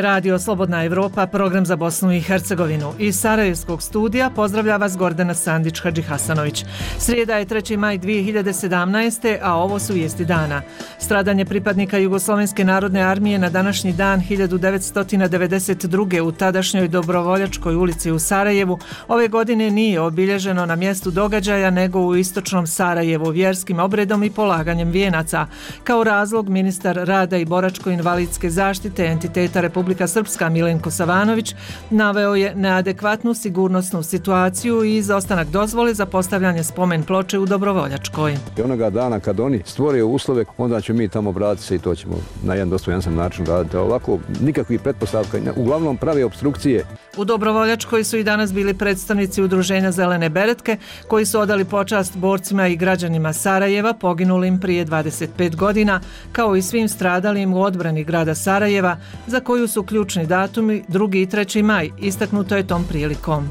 je Radio Slobodna Evropa, program za Bosnu i Hercegovinu. Iz Sarajevskog studija pozdravlja vas Gordana Sandić-Hadžihasanović. Srijeda je 3. maj 2017. a ovo su vijesti dana. Stradanje pripadnika Jugoslovenske narodne armije na današnji dan 1992. u tadašnjoj Dobrovoljačkoj ulici u Sarajevu ove godine nije obilježeno na mjestu događaja nego u istočnom Sarajevu vjerskim obredom i polaganjem vijenaca. Kao razlog ministar rada i boračko-invalidske zaštite entiteta Republika Srpska Milenko Savanović naveo je neadekvatnu sigurnosnu situaciju i izostanak dozvole za postavljanje spomen ploče u Dobrovoljačkoj. Onoga dana kad oni stvore uslove, onda ćemo mi tamo vratiti se i to ćemo na jedan dostojanstven način raditi. Ovako, nikakvih pretpostavka, uglavnom prave opstrukcije. U Dobrovoljačkoj su i danas bili predstavnici udruženja Zelene beretke koji su odali počast borcima i građanima Sarajeva poginulim prije 25 godina, kao i svim stradalim u odbrani grada Sarajeva, za koju su ključni datumi 2. i 3. maj, istaknuto je tom prilikom.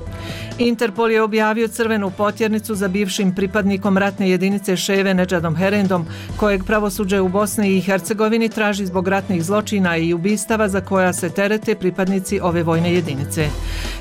Interpol je objavio crvenu potjernicu za bivšim pripadnikom ratne jedinice Ševe Nedžadom Herendom, kojeg pravosuđe u Bosni i Hercegovini traži zbog ratnih zločina i ubistava za koja se terete pripadnici ove vojne jedinice.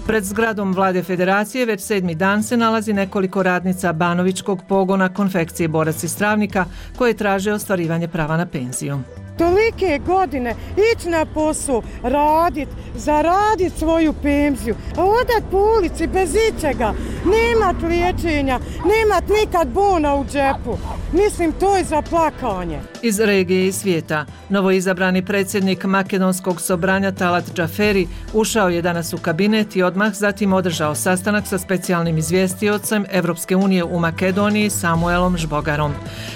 Pred zgradom Vlade Federacije već 7. dan se nalazi nekoliko radnica Banovićkog pogona konfekcije Borac iz Travnika koje traže ostvarivanje prava na penziju. Tolike godine ići na posao, radit, zaradit svoju penziju, a odat po ulici bez ičega, nemat liječenja, nemat nikad bona u džepu. Mislim, to je za plakanje. Iz regije i svijeta, novoizabrani predsjednik Makedonskog sobranja Talat Džaferi ušao je danas u kabinet i odmah zatim održao sastanak sa specijalnim izvjestiocem Evropske unije u Makedoniji Samuelom Žbogarom.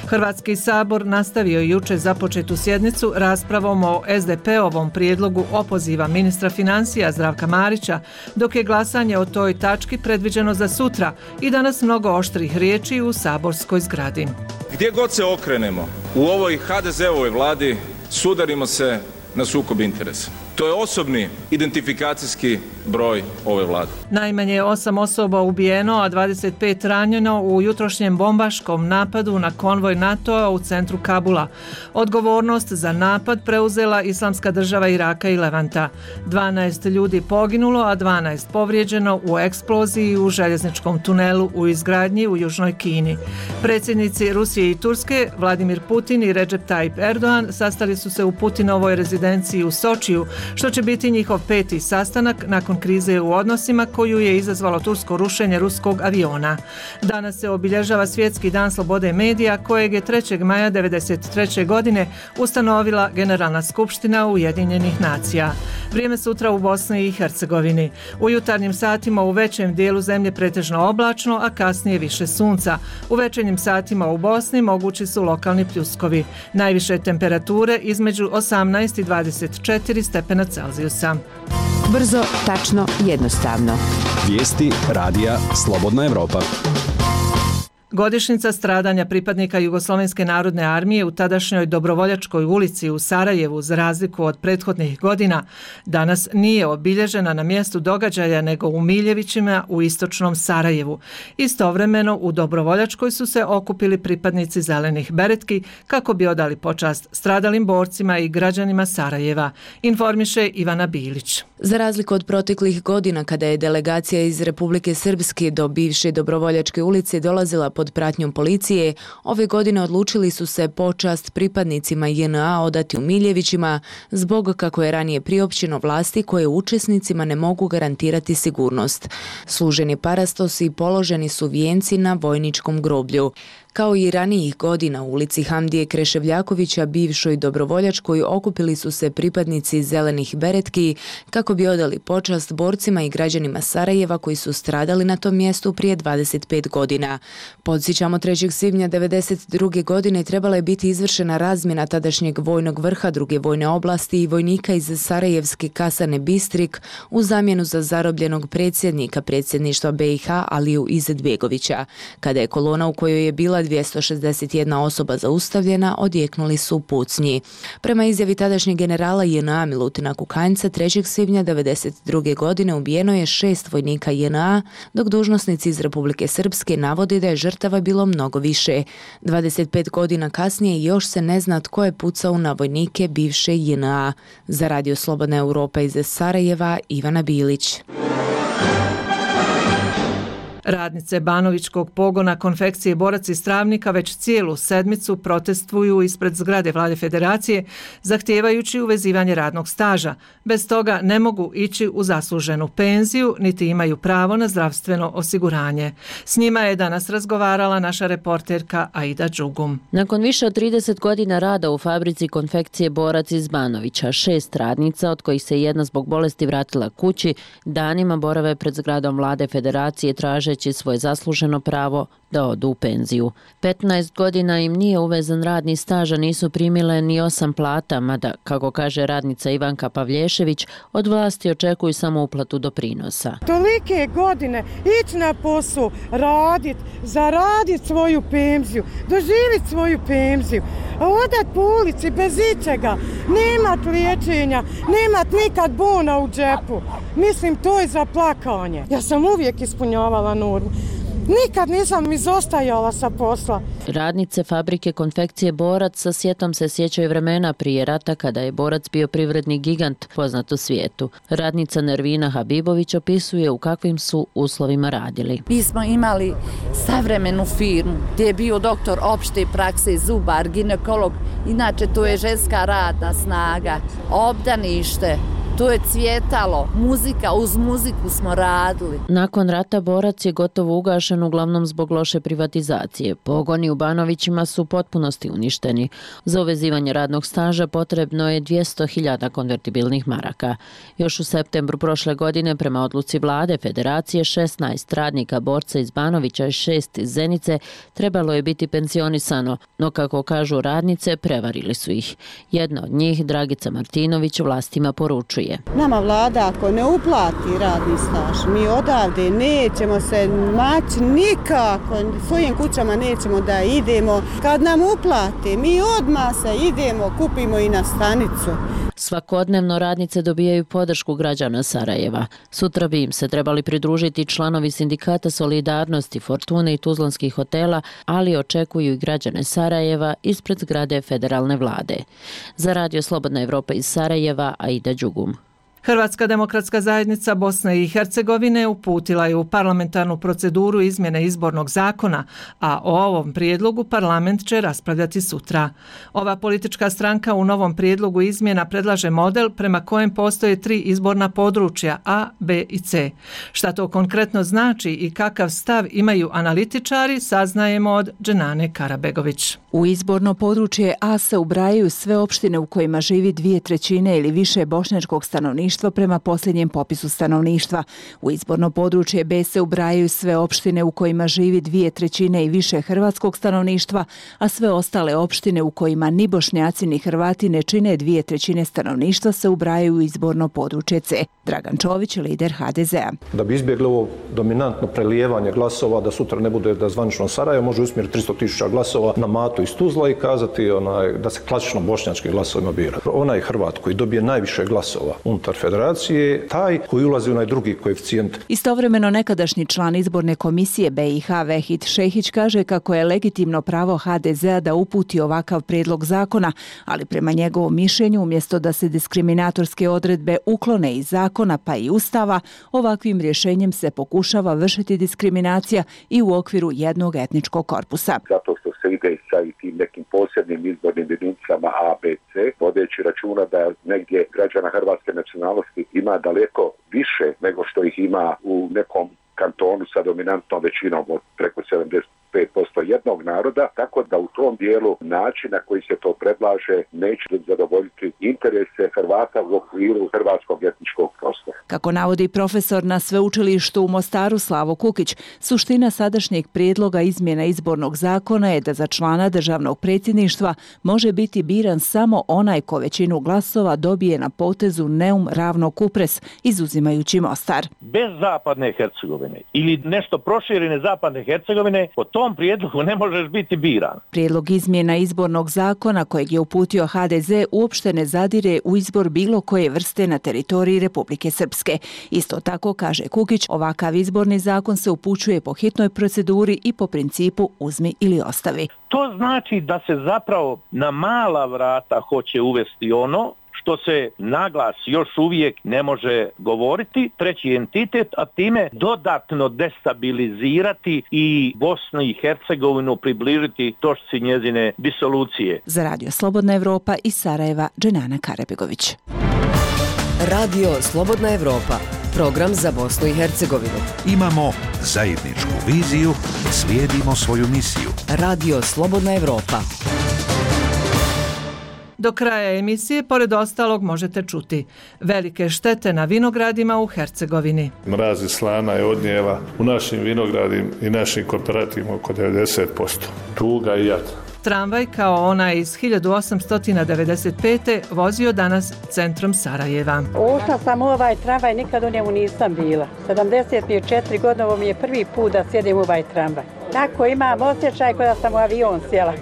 Hrvatski sabor nastavio juče započetu sjednicu raspravom o SDP-ovom prijedlogu opoziva ministra financija Zdravka Marića, dok je glasanje o toj tački predviđeno za sutra i danas mnogo oštrih riječi u saborskoj zgradi. Gdje god se okrenemo u ovoj HDZ-ovoj vladi sudarimo se na sukob interesa. To je osobni identifikacijski broj ove vlade. Najmanje 8 osoba ubijeno, a 25 ranjeno u jutrošnjem bombaškom napadu na konvoj NATO-a u centru Kabula. Odgovornost za napad preuzela Islamska država Iraka i Levanta. 12 ljudi poginulo, a 12 povrijeđeno u eksploziji u željezničkom tunelu u izgradnji u Južnoj Kini. Predsjednici Rusije i Turske, Vladimir Putin i Recep Tayyip Erdogan, sastali su se u Putinovoj rezidenciji u Sočiju, što će biti njihov 5. sastanak nakon krize u odnosima koju je izazvalo tursko rušenje ruskog aviona. Danas se obilježava Svjetski dan slobode medija kojeg je 3. maja 1993. godine ustanovila Generalna skupština Ujedinjenih nacija. Vrijeme sutra u Bosni i Hercegovini. U jutarnjim satima u većem dijelu zemlje pretežno oblačno, a kasnije više sunca. U večernjim satima u Bosni mogući su lokalni pljuskovi. Najviše temperature između 18 i 24 stepena Celzijusa. Brzo, tačno, jednostavno. Vijesti radija Slobodna Evropa. Godišnjica stradanja pripadnika Jugoslovenske narodne armije u tadašnjoj Dobrovoljačkoj ulici u Sarajevu, za razliku od prethodnih godina, danas nije obilježena na mjestu događaja nego u Miljevićima u istočnom Sarajevu. Istovremeno u Dobrovoljačkoj su se okupili pripadnici Zelenih beretki kako bi odali počast stradalim borcima i građanima Sarajeva, informiše Ivana Bilić. Za razliku od proteklih godina kada je delegacija iz Republike Srpske do bivše Dobrovoljačke ulice dolazila pod pratnjom policije, ove godine odlučili su se počast pripadnicima JNA odati u Miljevićima zbog, kako je ranije priopćeno, vlasti koje učesnicima ne mogu garantirati sigurnost. Služen je parastos i položeni su vijenci na vojničkom groblju. Kao i ranijih godina u ulici Hamdije Kreševljakovića, bivšoj Dobrovoljačkoj, okupili su se pripadnici Zelenih beretki kako bi odali počast borcima i građanima Sarajeva koji su stradali na tom mjestu prije 25 godina. Podsjećamo, 3. svibnja 1992. godine trebala je biti izvršena razmjena tadašnjeg vojnog vrha druge vojne oblasti i vojnika iz Sarajevske kasarne Bistrik u zamjenu za zarobljenog predsjednika predsjedništva BiH Aliju Izetbegovića. Kada je kolona u kojoj je bila bila 261 osoba zaustavljena, odjeknuli su pucnji. Prema izjavi tadašnjeg generala JNA Milutina Kukanjca, 3. svibnja 1992. godine ubijeno je 6 vojnika JNA, dok dužnosnici iz Republike Srpske navodi da je žrtava bilo mnogo više. 25 godina kasnije još se ne zna tko je pucao na vojnike bivše JNA. Za Radio Slobodna Europa iz Sarajeva, Ivana Bilić. Radnice Banovićkog pogona konfekcije Borac iz Travnika već cijelu sedmicu protestuju ispred zgrade Vlade Federacije, zahtijevajući uvezivanje radnog staža. Bez toga ne mogu ići u zasluženu penziju, niti imaju pravo na zdravstveno osiguranje. S njima je danas razgovarala naša reporterka Aida Đugum. Nakon više od 30 godina rada u fabrici konfekcije Borac iz Banovića, 6 radnica, od kojih se jedna zbog bolesti vratila kući, danima borave pred zgradom Vlade Federacije tražeći svoje zasluženo pravo da odu u penziju. 15 godina im nije uvezan radni staž, a nisu primile ni 8 plata, mada, kako kaže radnica Ivanka Pavlješević, od vlasti očekuju samo uplatu doprinosa. Tolike godine ići na posao, radit, zaradit svoju penziju, doživjeti svoju penziju, a odat po ulici bez ičega, nemat liječenja, nemat nikad bona u džepu. Mislim, to je za plakanje. Ja sam uvijek ispunjavala normu. Nikad nisam izostajala sa posla. Radnice fabrike konfekcije Borac sa sjetom se sjećaju vremena prije rata kada je Borac bio privredni gigant poznat u svijetu. Radnica Nervina Habibović opisuje u kakvim su uslovima radili. Mi smo imali savremenu firmu gdje je bio doktor opšte prakse, zubar, ginekolog. Inače to je ženska radna snaga, obdanište. To je cvjetalo, muzika, uz muziku smo radili. Nakon rata Borac je gotovo ugašen, uglavnom zbog loše privatizacije. Pogoni u Banovićima su u potpunosti uništeni. Za uvezivanje radnog staža potrebno je 200.000 konvertibilnih maraka. Još u septembru prošle godine, prema odluci Vlade Federacije, 16 radnika Borca iz Banovića i 6 iz Zenice trebalo je biti pensionisano, no kako kažu radnice, prevarili su ih. Jedna od njih, Dragica Martinović, vlastima poručuje: nama vlada ako ne uplati radni staž, mi odavde nećemo se maći nikako, svojim kućama nećemo da idemo. Kad nam uplate, mi odmah se idemo, kupimo i na stanicu. Svakodnevno radnice dobijaju podršku građana Sarajeva. Sutra bi im se trebali pridružiti članovi sindikata Solidarnosti, Fortune i Tuzlanskih hotela, ali očekuju i građane Sarajeva ispred zgrade federalne vlade. Za Radio Slobodna Evropa iz Sarajeva, Aida Đugum. Hrvatska demokratska zajednica Bosne i Hercegovine uputila je u parlamentarnu proceduru izmjene izbornog zakona, a o ovom prijedlogu parlament će raspravljati sutra. Ova politička stranka u novom prijedlogu izmjena predlaže model prema kojem postoje 3 izborna područja A, B i C. Šta to konkretno znači i kakav stav imaju analitičari, saznajemo od Dženane Karabegović. U izborno područje A se ubrajaju sve opštine u kojima živi 2/3 ili više bošnjačkog stanovništva prema posljednjem popisu stanovništva. U izborno područje B se ubrajaju sve opštine u kojima živi 2/3 i više hrvatskog stanovništva, a sve ostale opštine u kojima ni Bošnjaci ni Hrvati ne čine 2/3 stanovništva se ubrajaju u izborno područje C. Dragan Čović, lider HDZ-a. Da bi izbjegli ovo dominantno prelijevanje glasova, da sutra ne bude da zvanično Sarajevo može usmjeriti 300.000 glasova na Matu iz Tuzla i kazati da se klasično bošnjački glasovima bira. Onaj Hrvat koji dobije najviše glasova unutar federacije, taj koji ulazi u onaj drugi koeficijent. Istovremeno nekadašnji član izborne komisije BiH Vehid Šehić kaže kako je legitimno pravo HDZ-a da uputi ovakav prijedlog zakona, ali prema njegovom mišljenju umjesto da se diskriminatorske odredbe uklone iz zakona pa i Ustava, ovakvim rješenjem se pokušava vršiti diskriminacija i u okviru jednog etničkog korpusa. Zato što se ide sa i tim nekim posebnim izbornim jedinicama A, B, C, vodeći računa da negdje građana hrvatske nacionalnosti ima daleko više nego što ih ima u nekom kantonu sa dominantnom većinom od preko 75% jednog naroda, tako da u tom dijelu način na koji se to predlaže neće zadovoljiti interese Hrvata u okviru hrvatskog etničkog prostora. Kako navodi profesor na sveučilištu u Mostaru Slavo Kukić, suština sadašnjeg prijedloga izmjena izbornog zakona je da za člana državnog predsjedništva može biti biran samo onaj ko većinu glasova dobije na potezu Neum ravno Kupres, izuzimajući Mostar. Bez zapadne Hercegovine ili nešto proširene zapadne Hercegovine, po tom tom prijedlogu ne možeš biti biran. Prijedlog izmjena izbornog zakona kojeg je uputio HDZ uopšte ne zadire u izbor bilo koje vrste na teritoriji Republike Srpske. Isto tako, kaže Kukić, ovakav izborni zakon se upućuje po hitnoj proceduri i po principu uzmi ili ostavi. To znači da se zapravo na mala vrata hoće uvesti ono što se naglas još uvijek ne može govoriti, treći entitet, a time dodatno destabilizirati i Bosnu i Hercegovinu približiti točci njezine disolucije. Za Radio Slobodna Evropa iz Sarajeva, Dženana Karebegović. Radio Slobodna Evropa, program za Bosnu i Hercegovinu. Imamo zajedničku viziju, slijedimo svoju misiju. Radio Slobodna Evropa. Do kraja emisije, pored ostalog, možete čuti velike štete na vinogradima u Hercegovini. Mraz i slana je odnijela u našim vinogradima i našim kooperativima oko 90%. Tuga i jad. Tramvaj kao onaj iz 1895. vozio danas centrom Sarajeva. Ušla sam u ovaj tramvaj, nikad u njemu nisam bila. 74 godine, ovo mi je prvi put da sjedim u ovaj tramvaj. Tako imam osjećaj kao da sam u avion sjela.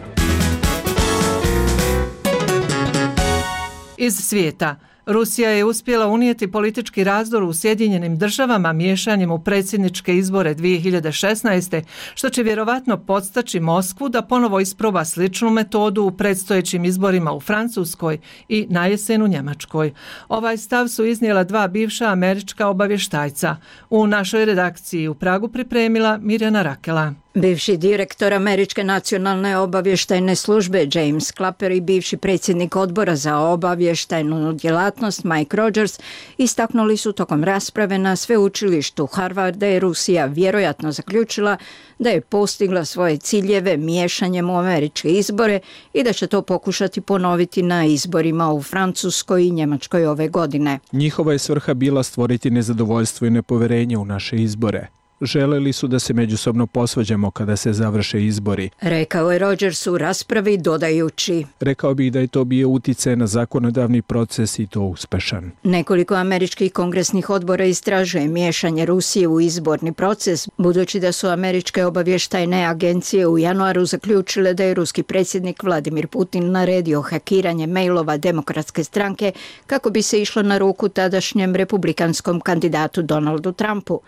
Iz svijeta. Rusija je uspjela unijeti politički razdor u Sjedinjenim državama miješanjem u predsjedničke izbore 2016. što će vjerovatno podstaći Moskvu da ponovo isproba sličnu metodu u predstojećim izborima u Francuskoj i na jesen u Njemačkoj. Ovaj stav su iznijela dva bivša američka obavještajca. U našoj redakciji u Pragu pripremila Mirjana Rakela. Bivši direktor Američke nacionalne obavještajne službe James Clapper i bivši predsjednik odbora za obavještajnu djelatnost Mike Rogers istaknuli su tokom rasprave na sveučilištu Harvard da je Rusija vjerojatno zaključila da je postigla svoje ciljeve miješanjem u američke izbore i da će to pokušati ponoviti na izborima u Francuskoj i Njemačkoj ove godine. Njihova je svrha bila stvoriti nezadovoljstvo i nepoverenje u naše izbore. Želeli su da se međusobno posvađamo kada se završe izbori. Rekao je Rogers u raspravi dodajući. Rekao bih da je to bio uticaj na zakonodavni proces i to uspešan. Nekoliko američkih kongresnih odbora istražuje miješanje Rusije u izborni proces, budući da su američke obavještajne agencije u januaru zaključile da je ruski predsjednik Vladimir Putin naredio hakiranje mailova Demokratske stranke kako bi se išlo na ruku tadašnjem republikanskom kandidatu Donaldu Trumpu.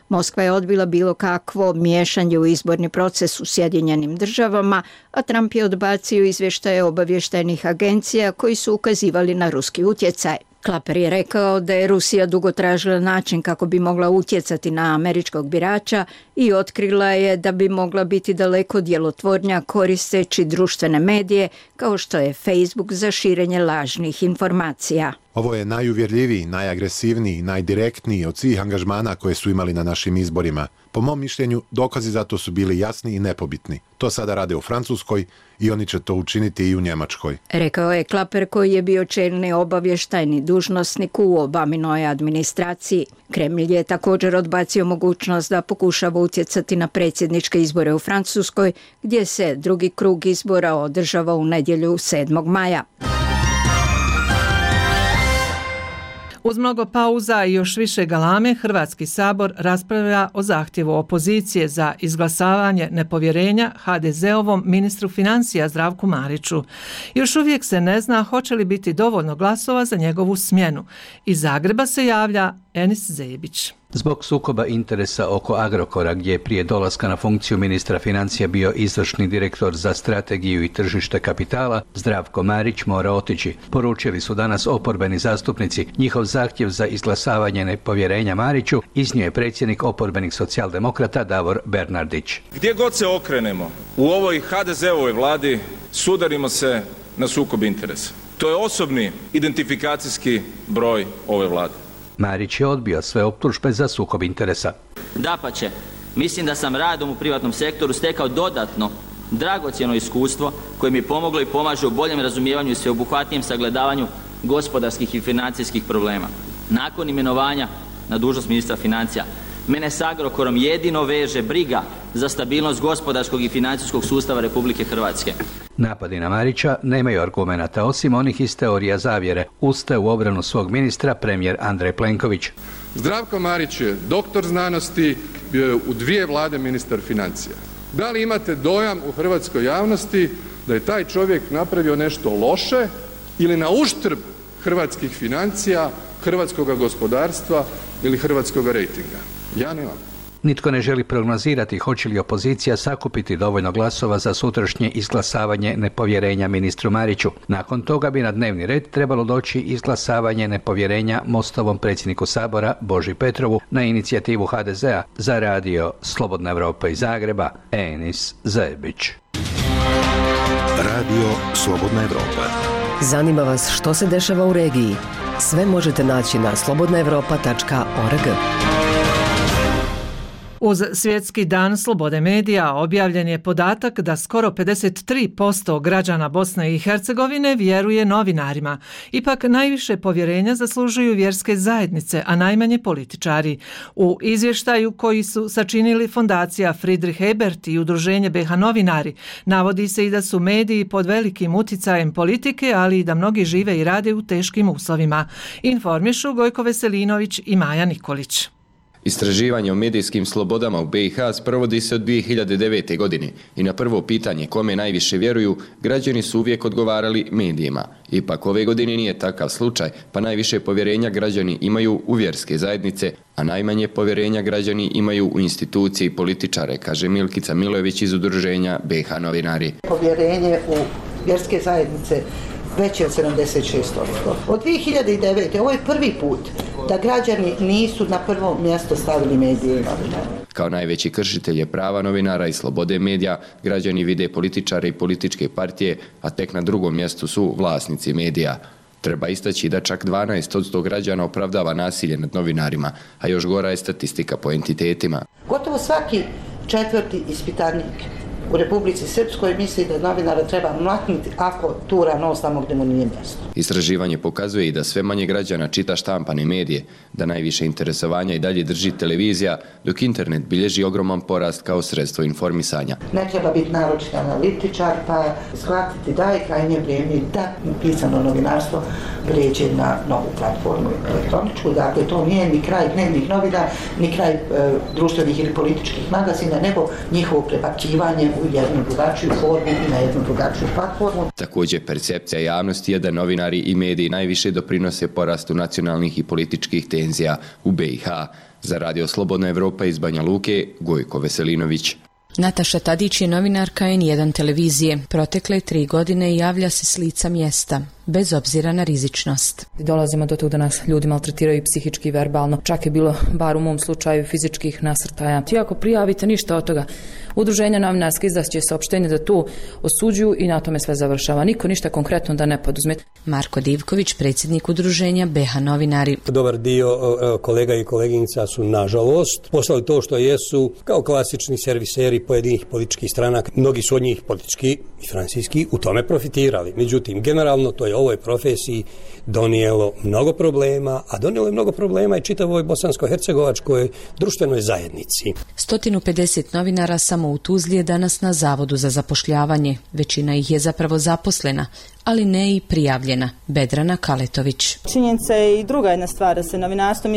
Moskva je odbila bilo kakvo miješanje u izborni proces u Sjedinjenim državama, a Trump je odbacio izvještaje obavještajnih agencija koji su ukazivali na ruski utjecaj. Clapper je rekao da je Rusija dugo tražila način kako bi mogla utjecati na američkog birača i otkrila je da bi mogla biti daleko djelotvornija koristeći društvene medije kao što je Facebook za širenje lažnih informacija. Ovo je najuvjerljiviji, najagresivniji, najdirektniji od svih angažmana koje su imali na našim izborima. Po mom mišljenju, dokazi za to su bili jasni i nepobitni. To sada rade u Francuskoj i oni će to učiniti i u Njemačkoj. Rekao je Clapper koji je bio čelni obavještajni dužnosnik u Obaminoj administraciji. Kremlj je također odbacio mogućnost da pokušava utjecati na predsjedničke izbore u Francuskoj, gdje se drugi krug izbora održava u nedjelju 7. maja. Uz mnogo pauza i još više galame, Hrvatski sabor raspravlja o zahtjevu opozicije za izglasavanje nepovjerenja HDZ-ovom ministru financija Zdravku Mariću. Još uvijek se ne zna hoće li biti dovoljno glasova za njegovu smjenu. Iz Zagreba se javlja Enis Zebić. Zbog sukoba interesa oko Agrokora, gdje je prije dolaska na funkciju ministra financija bio izvršni direktor za strategiju i tržište kapitala, Zdravko Marić mora otići. Poručili su danas oporbeni zastupnici. Njihov zahtjev za izglasavanje nepovjerenja Mariću iznio je predsjednik oporbenih socijaldemokrata Davor Bernardić. Gdje god se okrenemo u ovoj HDZ-ovoj vladi sudarimo se na sukob interesa. To je osobni identifikacijski broj ove vlade. Marić je odbio sve optužbe za sukob interesa. Dapače, mislim da sam radom u privatnom sektoru stekao dodatno dragocjeno iskustvo koje mi pomoglo i pomaže u boljem razumijevanju i sveobuhvatnijem sagledavanju gospodarskih i financijskih problema. Nakon imenovanja na dužnost ministra financija, mene s Agrokorom jedino veže briga za stabilnost gospodarskog i financijskog sustava Republike Hrvatske. Napadi na Marića nemaju argumenata osim onih iz teorija zavjere. Ustaje u obranu svog ministra premijer Andrej Plenković. Zdravko Marić je doktor znanosti, bio je u 2 vlade ministar financija. Da li imate dojam u hrvatskoj javnosti da je taj čovjek napravio nešto loše ili na uštrb hrvatskih financija, hrvatskog gospodarstva ili hrvatskog rejtinga? Ja nemam. Nitko ne želi prognozirati hoće li opozicija sakupiti dovoljno glasova za sutrašnje izglasavanje nepovjerenja ministru Mariću. Nakon toga bi na dnevni red trebalo doći izglasavanje nepovjerenja Mostovom predsjedniku Sabora Boži Petrovu na inicijativu HDZ-a. Za radio Slobodna Evropa iz Zagreba, Enis Zebić. Radio Slobodna Evropa. Zanima vas što se dešava u regiji? Sve možete naći na slobodnaevropa.org. Uz Svjetski dan slobode medija objavljen je podatak da skoro 53% građana Bosne i Hercegovine vjeruje novinarima. Ipak najviše povjerenja zaslužuju vjerske zajednice, a najmanje političari. U izvještaju koji su sačinili fondacija Friedrich Ebert i udruženje BiH novinari, navodi se i da su mediji pod velikim uticajem politike, ali i da mnogi žive i rade u teškim uslovima. Informišu Gojko Veselinović i Maja Nikolić. Istraživanje o medijskim slobodama u BiH sprovodi se od 2009. godine i na prvo pitanje kome najviše vjeruju, građani su uvijek odgovarali medijima. Ipak ove godine nije takav slučaj, pa najviše povjerenja građani imaju u vjerske zajednice, a najmanje povjerenja građani imaju u institucije i političare, kaže Milkica Milojević iz udruženja BiH novinari. Povjerenje u vjerske zajednice veće od 76%. Od 2009. ovo je prvi put da građani nisu na prvo mjesto stavili medije i novinare. Kao najveći kršitelje prava novinara i slobode medija, građani vide političare i političke partije, a tek na drugom mjestu su vlasnici medija. Treba istaći da čak 12% građana opravdava nasilje nad novinarima, a još gora je statistika po entitetima. Gotovo svaki četvrti ispitanik u Republici Srpskoj misli da novinara treba mlatniti ako tura nos tamo gdje mu nije mjesto. Istraživanje pokazuje i da sve manje građana čita štampane medije, da najviše interesovanja i dalje drži televizija, dok internet bilježi ogroman porast kao sredstvo informisanja. Ne treba biti naročit analitičar pa shvatiti da je krajnje vrijeme da pisano novinarstvo prijeđe na novu platformu elektroničku. Dakle, to nije ni kraj dnevnih novina, ni kraj društvenih ili političkih magazina, nego njihovo prebacivanje u jednu drugačiju formu i na jednu drugačiju platformu. Također, percepcija javnosti je da novinari i mediji najviše doprinose porastu nacionalnih i političkih tenzija u BiH. Za Radio Slobodna Evropa iz Banja Luke, Gojko Veselinović. Nataša Tadić je novinarka N1 televizije. Protekle 3 godine javlja se s lica mjesta, bez obzira na rizičnost. Dolazimo do toga da nas ljudi maltretiraju psihički i verbalno. Čak je bilo, bar u mom slučaju, fizičkih nasrtaja. Ti ako prijavite ništa od toga, udruženja novinarska izdaće saopštenje da tu osuđuju i na tome sve završava. Niko ništa konkretno da ne poduzme. Marko Divković, predsjednik udruženja BiH novinari. Dobar dio kolega i koleginica su, nažalost, poslali to što jesu kao klasični serviseri pojedinih političkih stranaka. Mnogi su od njih politički i financijski u tome profitirali. Međutim, generalno to je ovoj profesiji donijelo mnogo problema, a donijelo je mnogo problema i čitavoj bosansko-hercegovačkoj društvenoj zajednici. 150 novinara samo u Tuzli je danas na Zavodu za zapošljavanje. Većina ih je zapravo zaposlena, ali ne i prijavljena. Bedrana Kaletović. Činjenica je i druga jedna stvar, da se novinarstvo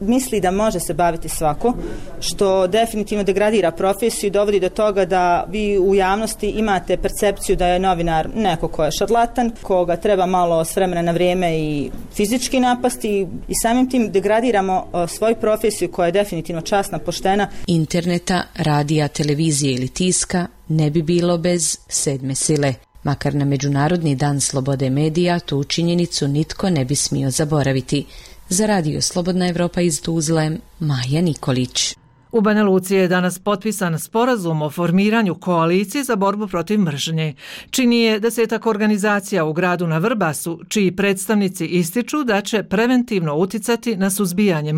misli da može se baviti svako, što definitivno degradira profesiju i dovodi do toga da vi u javnosti imate percepciju da je novinar neko ko je šarlatan, koga treba malo s vremena na vrijeme i fizički napasti i samim tim degradiramo svoju profesiju koja je definitivno časna, poštena. Interneta, radija, televizije ili tiska ne bi bilo bez sedme sile. Makar na Međunarodni dan slobode medija tu činjenicu nitko ne bi smio zaboraviti. Za Radio Slobodna Evropa iz Tuzle, Maja Nikolić. U Banja Luci je danas potpisan sporazum o formiranju koalicije za borbu protiv mržnje. Čini je 10 organizacija u gradu na Vrbasu, čiji predstavnici ističu da će preventivno uticati na suzbijanje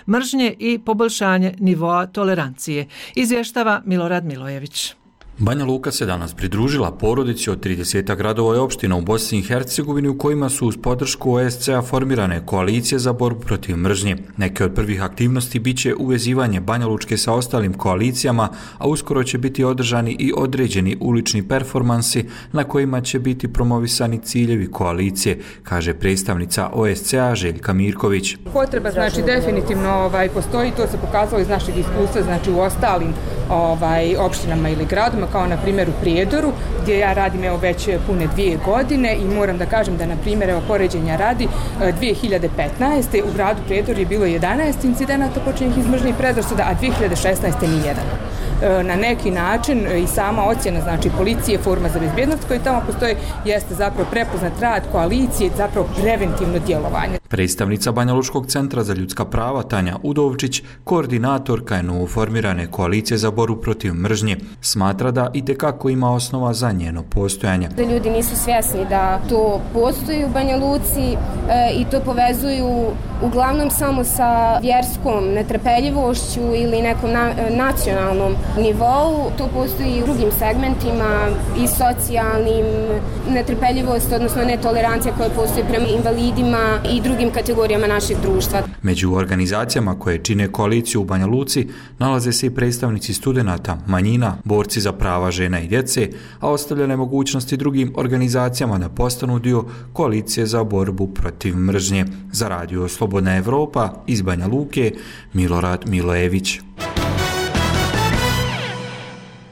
mržnje i poboljšanje nivoa tolerancije. Izvještava Milorad Milojević. Banja Luka se danas pridružila porodici od 30 gradova i opština u Bosni i Hercegovini u kojima su uz podršku OSCE-a formirane koalicije za borbu protiv mržnje. Neke od prvih aktivnosti biće uvezivanje Banja Lučke sa ostalim koalicijama, a uskoro će biti održani i određeni ulični performansi na kojima će biti promovisani ciljevi koalicije, kaže predstavnica OSCE-a Željka Mirković. Potreba definitivno postoji, to se pokazalo iz našeg iskustva, u ostalim opštinama ili gradima, kao na primjer u Prijedoru, gdje ja radim već pune 2 godine i moram da kažem da na primjer poređenja radi 2015. u gradu Prijedor je bilo 11 incidenata počinjenih iz mržnje i predrasuda, a 2016. nijedan. Na neki način i sama ocjena, znači policije, forma za bezbjednost koji tamo postoji, jeste zapravo prepoznat rad koalicije, zapravo preventivno djelovanje. Predstavnica Banja Lučkog centra za ljudska prava Tanja Udovčić, koordinatorka je novoformirane koalicije za borbu protiv mržnje, smatra da itekako ima osnova za njeno postojanje. Da ljudi nisu svjesni da to postoji u Banja Luci i to povezuju uglavnom samo sa vjerskom netrpeljivošću ili nekom nacionalnom nivou. To postoji i u drugim segmentima i socijalnim, netrpeljivost, odnosno netolerancija koja postoji prema invalidima i drugim kategorijama našeg društva. Među organizacijama koje čine koaliciju u Banja Luci nalaze se i predstavnici studenata, manjina, borci za prava žena i djece, a ostavljene mogućnosti drugim organizacijama da postanu dio koalicije za borbu protiv mržnje. Za radio Slobodna Evropa iz Banja Luke, Milorad Milojević.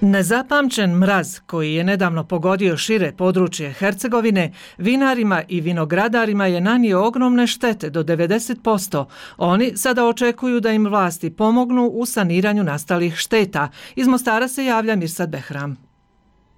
Nezapamćen mraz koji je nedavno pogodio šire područje Hercegovine, vinarima i vinogradarima je nanio ogromne štete do 90%. Oni sada očekuju da im vlasti pomognu u saniranju nastalih šteta. Iz Mostara se javlja Mirsad Behram.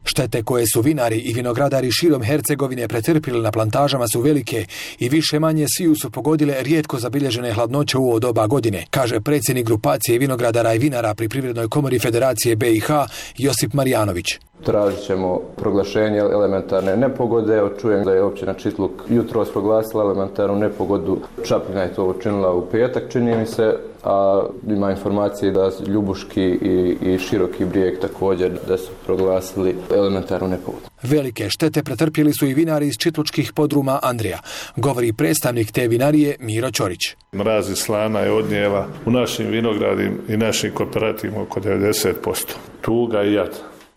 Štete koje su vinari i vinogradari širom Hercegovine pretrpili na plantažama su velike i više manje sviju su pogodile rijetko zabilježene hladnoće u ovo doba godine, kaže predsjednik grupacije vinogradara i vinara pri Privrednoj komori Federacije BiH Josip Marijanović. Tražit ćemo proglašenje elementarne nepogode. Čujem da je općina Čitluk jutros proglasila elementarnu nepogodu. Čapljina je to učinila u petak, čini mi se, a ima informacije da Ljubuški i Široki Brijeg također da su proglasili elementarnu nepogodu. Velike štete pretrpjeli su i vinari iz čitlučkih podruma Andrija, govori predstavnik te vinarije Miro Ćorić. Mraz i slana je odnijela u našim vinogradima i našim kooperativima oko 90%. Tuga i jad.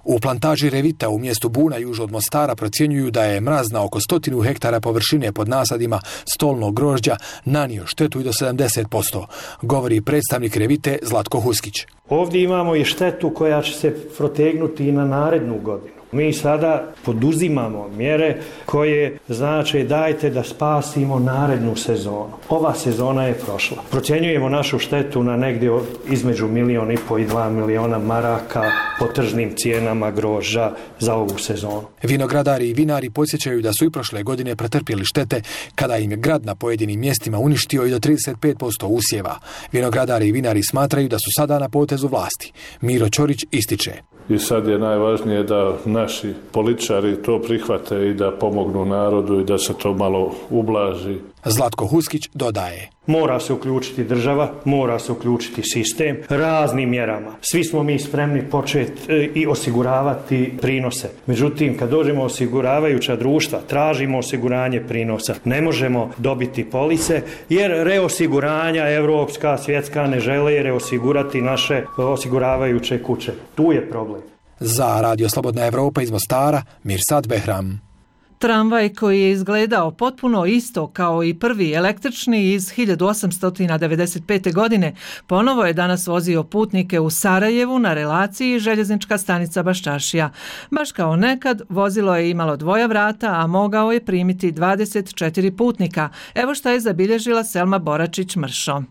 U plantaži Revita u mjestu Buna južno od Mostara procjenjuju da je mraz na oko 100 hektara površine pod nasadima stolnog grožđa nanio štetu i do 70%, govori predstavnik Revite Zlatko Huskić. Ovdje imamo i štetu koja će se protegnuti i na narednu godinu. Mi sada poduzimamo mjere koje znači dajte da spasimo narednu sezonu. Ova sezona je prošla. Procjenjujemo našu štetu na negdje između 1,5 milijuna i 2 milijuna maraka po tržnim cijenama grožđa za ovu sezonu. Vinogradari i vinari podsjećaju da su i prošle godine pretrpjeli štete kada im je grad na pojedinim mjestima uništio i do 35% usjeva. Vinogradari i vinari smatraju da su sada na potezu vlasti. Miro Ćorić ističe. I sad je najvažnije da naši političari to prihvate i da pomognu narodu i da se to malo ublaži. Zlatko Huskić dodaje. Mora se uključiti država, mora se uključiti sistem raznim mjerama. Svi smo mi spremni početi i osiguravati prinose. Međutim, kad dođemo osiguravajuća društva, tražimo osiguranje prinosa. Ne možemo dobiti polise jer reosiguranja evropska, svjetska ne žele reosigurati naše osiguravajuće kuće. Tu je problem. Za Radio Slobodna Evropa iz Mostara, Mirsad Behram. Tramvaj koji je izgledao potpuno isto kao i prvi električni iz 1895. godine ponovo je danas vozio putnike u Sarajevu na relaciji željeznička stanica Baščašija. Baš kao nekad, vozilo je imalo 2 vrata, a mogao je primiti 24 putnika. Evo šta je zabilježila Selma Boračić-Mršo.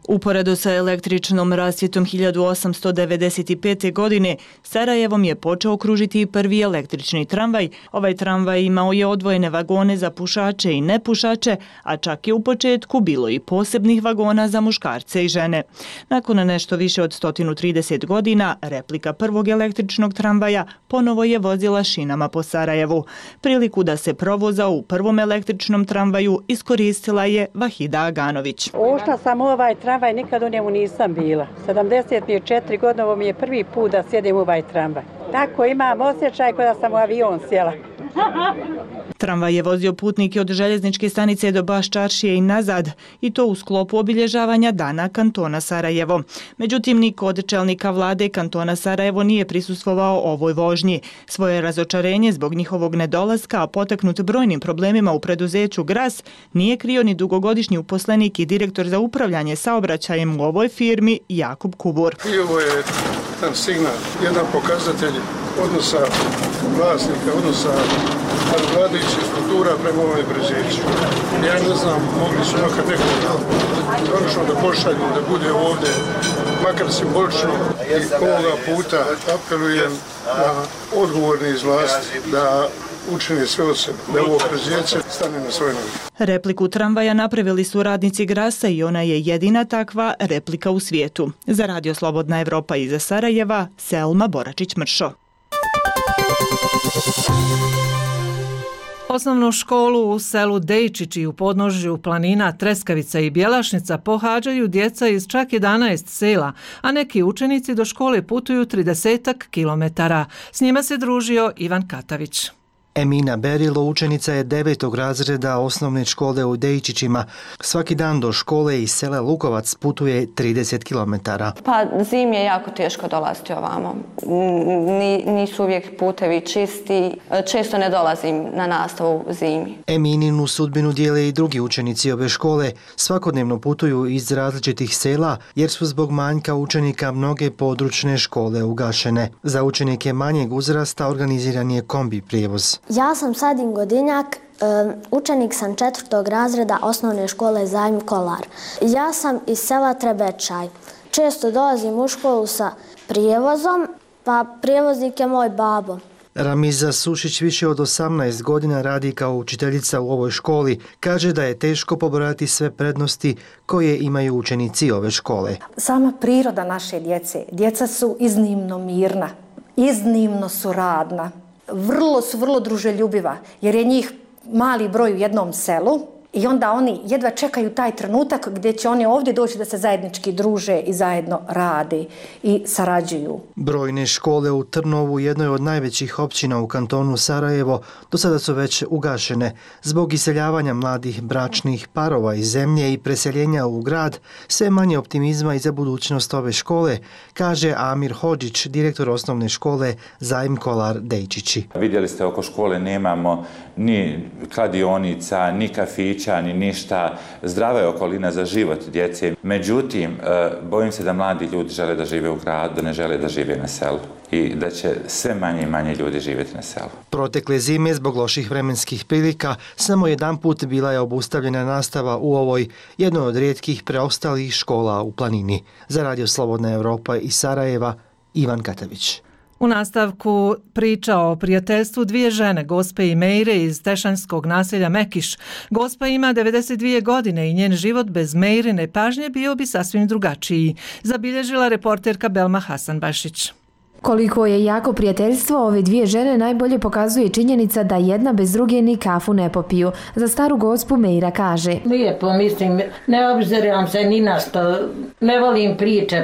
Uporedo sa električnom rasvjetom 1895. godine, Sarajevom je počeo kružiti i prvi električni tramvaj. Ovaj tramvaj imao je odvojene vagone za pušače i nepušače, a čak je u početku bilo i posebnih vagona za muškarce i žene. Nakon nešto više od 130 godina, replika prvog električnog tramvaja ponovo je vozila šinama po Sarajevu. Priliku da se provoza u prvom električnom tramvaju iskoristila je Vahida Aganović. Ušla sam u ovaj tramvaj, nikad u njemu nisam bila. 74 godine, ovo mi je prvi put da sjedim u ovaj tramvaj. Tako imam osjećaj kao da sam u avion sjela. Tramvaj je vozio putnike od željezničke stanice do Baščaršije i nazad, i to u sklopu obilježavanja Dana kantona Sarajevo. Međutim, niko od čelnika vlade kantona Sarajevo nije prisustvovao ovoj vožnji. Svoje razočarenje zbog njihovog nedolaska, a potaknut brojnim problemima u preduzeću Gras, nije krio ni dugogodišnji uposlenik i direktor za upravljanje saobraćajem u ovoj firmi Jakub Kubur. I ovo je jedan signal, jedan pokazatelj odnosa vlasnika, odnosa vladajućih struktura prema ovome preduzeću. Ja ne znam, mogli su nekad nekog konačno da pošalju, da bude ovdje, makar simbolično, i ovoga puta apelujem na odgovorni iz vlasti da učini sve od sebe, da ovo preduzeće stane na svoje noge. Repliku tramvaja napravili su radnici Grasa i ona je jedina takva replika u svijetu. Za Radio Slobodna Evropa iza Sarajeva, Selma Boračić-Mršo. Osnovnu školu u selu Dejčići u podnožju planina Treskavica i Bjelašnica pohađaju djeca iz čak 11 sela, a neki učenici do škole putuju 30 kilometara. S njima se družio Ivan Katavić. Emina Berilo učenica je 9. razreda osnovne škole u Dejčićima. Svaki dan do škole iz sela Lukovac putuje 30 km. Pa zimi je jako teško dolaziti ovamo. Nisu uvijek putevi čisti. Često ne dolazim na nastavu zimi. Emininu sudbinu dijele i drugi učenici ove škole. Svakodnevno putuju iz različitih sela jer su zbog manjka učenika mnoge područne škole ugašene. Za učenike manjeg uzrasta organiziran je kombi prijevoz. Ja sam Sadin Godinjak, učenik sam 4. razreda osnovne škole Zajm Kolar. Ja sam iz sela Trebečaj. Često dolazim u školu sa prijevozom, pa prijevoznik je moj babo. Ramiza Sušić više od 18 godina radi kao učiteljica u ovoj školi. Kaže da je teško pobrojati sve prednosti koje imaju učenici ove škole. Sama priroda naše djece. Djeca su iznimno mirna, iznimno su radna. Vrlo druželjubiva, jer je njih mali broj u jednom selu i onda oni jedva čekaju taj trenutak gdje će oni ovdje doći da se zajednički druže i zajedno rade i sarađuju. Brojne škole u Trnovu, jednoj od najvećih općina u kantonu Sarajevo, do sada su već ugašene. Zbog iseljavanja mladih bračnih parova iz zemlje i preseljenja u grad, sve manje optimizma i za budućnost ove škole, kaže Amir Hodžić, direktor osnovne škole Zajm Kolar Dejčići. Vidjeli ste, oko škole nemamo ni kladionica, ni kafića, ni ništa. Zdrava je okolina za život djece. Međutim, bojim se da mladi ljudi žele da žive u gradu, da ne žele da žive na selu i da će sve manje i manje ljudi živjeti na selu. Protekle zime, zbog loših vremenskih prilika, samo jedan put bila je obustavljena nastava u ovoj jednoj od rijetkih preostalih škola u planini. Za Radio Slobodna Evropa iz Sarajeva, Ivan Katavić. U nastavku priča o prijateljstvu dvije žene, Gospe i Mejre iz tešanskog naselja Mekiš. Gospa ima 92 godine i njen život bez Mejrine pažnje bio bi sasvim drugačiji, zabilježila reporterka Belma Hasanbašić. Koliko je jako prijateljstvo ove dvije žene najbolje pokazuje činjenica da jedna bez druge ni kafu ne popiju. Za staru gospu Mejra kaže: Lijepo, mislim, ne obziram se ni na što, ne volim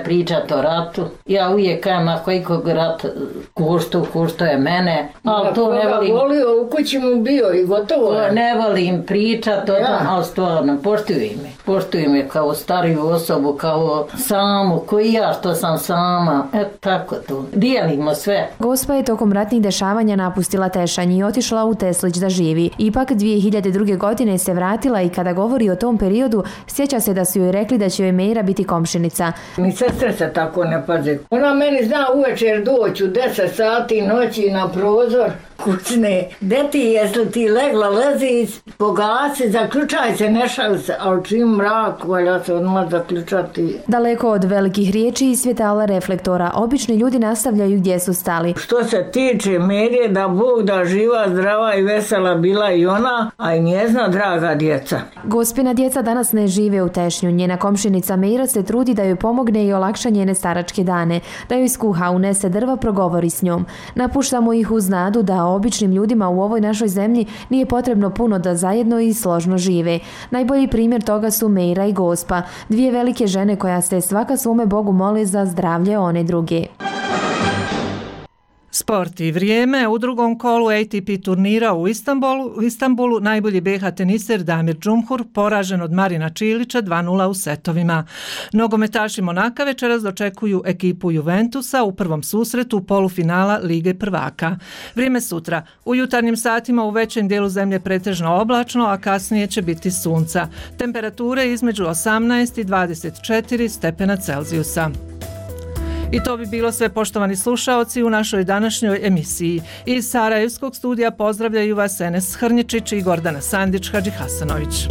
pričat o ratu. Ja uvijek kajem, ako ikog rat kušto je mene, ali to ne volim. Volio, u kući mu bio i gotovo. Ne volim pričat o tom, ali stvarno, poštuj me kao stariju osobu, kao samu, koji ja što sam sama, tako to. Dijelimo sve. Gospa je tokom ratnih dešavanja napustila Tešanj i otišla u Teslić da živi. Ipak 2002. godine se vratila i kada govori o tom periodu, sjeća se da su joj rekli da će joj Mejra biti komšinica. Ni sestre se tako ne paze. Ona meni zna uvečer doći u 10 sati noći na prozor kućne. Deti, jesli ti legla, lezi, pogasi, zaključaj se, ne šal se, ali čim mrak, valja se odmah zaključati. Daleko od velikih riječi i svjetala reflektora, obični ljudi nastavljaju gdje su stali. Što se tiče Merije, da Bog da živa, zdrava i vesela bila i ona, a i njezna draga djeca. Gospina djeca danas ne žive u Tešnju. Njena komšinica Mejra se trudi da joj pomogne i olakša njene staračke dane, da joj skuha, unese drva, progovori s njom. Napuštamo ih uz nadu da običnim ljudima u ovoj našoj zemlji nije potrebno puno da zajedno i složno žive. Najbolji primjer toga su Mejra i Gospa, dvije velike žene koja se svaka svome Bogu moli za zdravlje one druge. Sport i vrijeme. U drugom kolu ATP turnira u Istanbulu najbolji BH teniser Damir Džumhur poražen od Marina Čilića 2:0 u setovima. Nogometaši Monaka večeras dočekuju ekipu Juventusa u prvom susretu polufinala Lige prvaka. Vrijeme sutra. U jutarnjim satima u većem dijelu zemlje pretežno oblačno, a kasnije će biti sunca. Temperature između 18 i 24 stepena Celzijusa. I to bi bilo sve, poštovani slušaoci, u našoj današnjoj emisiji. Iz Sarajevskog studija pozdravljaju vas Enes Hrnječić i Gordana Sandić Hadžihasanović.